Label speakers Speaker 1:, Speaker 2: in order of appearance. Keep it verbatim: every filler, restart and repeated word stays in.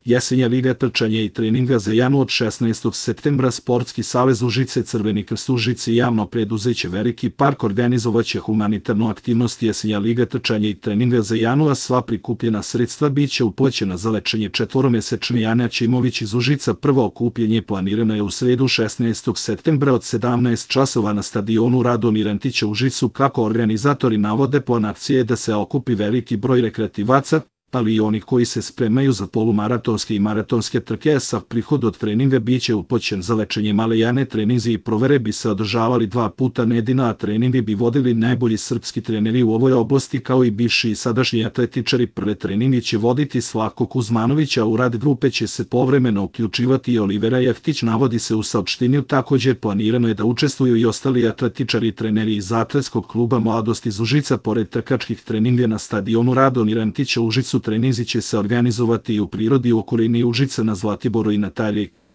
Speaker 1: Jesenja liga trčanja i treninga za Janu od šesnaestog septembra Sportski savez Užice, Crveni krst Užice i javno preduzeće Veliki park organizovaće humanitarnu aktivnost Jesenja liga trčanja i treninga za Janu, a sva prikupljena sredstva bit će uplaćena za lečenje četvoromesečne Jane Aćimović iz Užica. Prvo okupljanje planirano je u sredu šesnaestog septembra od sedamnaest časova na stadionu Radomir Antića u Užicu. Kako organizatori navode, plan akcije je da se okupi veliki broj rekreativaca, ali i oni koji se spremaju za polumaratonske i maratonske trke. Sav prihod od treninga bit će uplaćen za lečenje male Jane. Treninzi i provere bi se održavali dva puta nedeljno, a treninge bi vodili najbolji srpski treneri u ovoj oblasti, kao i bivši i sadašnji atletičari. Prve treninge će voditi Slavko Kuzmanović, a u rad grupe će se povremeno uključivati i Olivera Jeftić, navodi se u saopštenju. Također planirano je da učestvuju i ostali atletičari i treneri iz atletskog kluba Mladost iz Užica. Pored trkačkih treninga na stadionu Radomir Antića u Užicu, treninzi će se organizovati i u prirodi u okolini Užica, na Zlatiboru i na Talji.